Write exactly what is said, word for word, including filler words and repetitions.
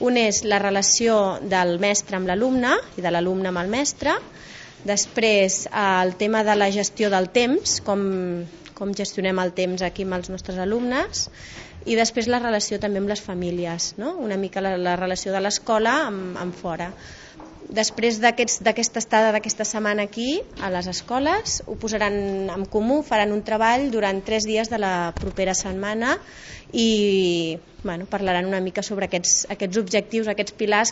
Un és la relació del mestre amb l'alumne i de l'alumne amb el mestre. Després, el tema de la gestió del temps, com, com gestionem el temps aquí amb els nostres alumnes. I després la relació també amb les famílies, no? Una mica la, la relació de l'escola amb, amb fora. Després d'aquesta estada d'aquesta setmana aquí a les escoles ho posaran en comú, faran un treball durant tres dies de la propera setmana i bueno, parlaran una mica sobre aquests, aquests objectius, aquests pilars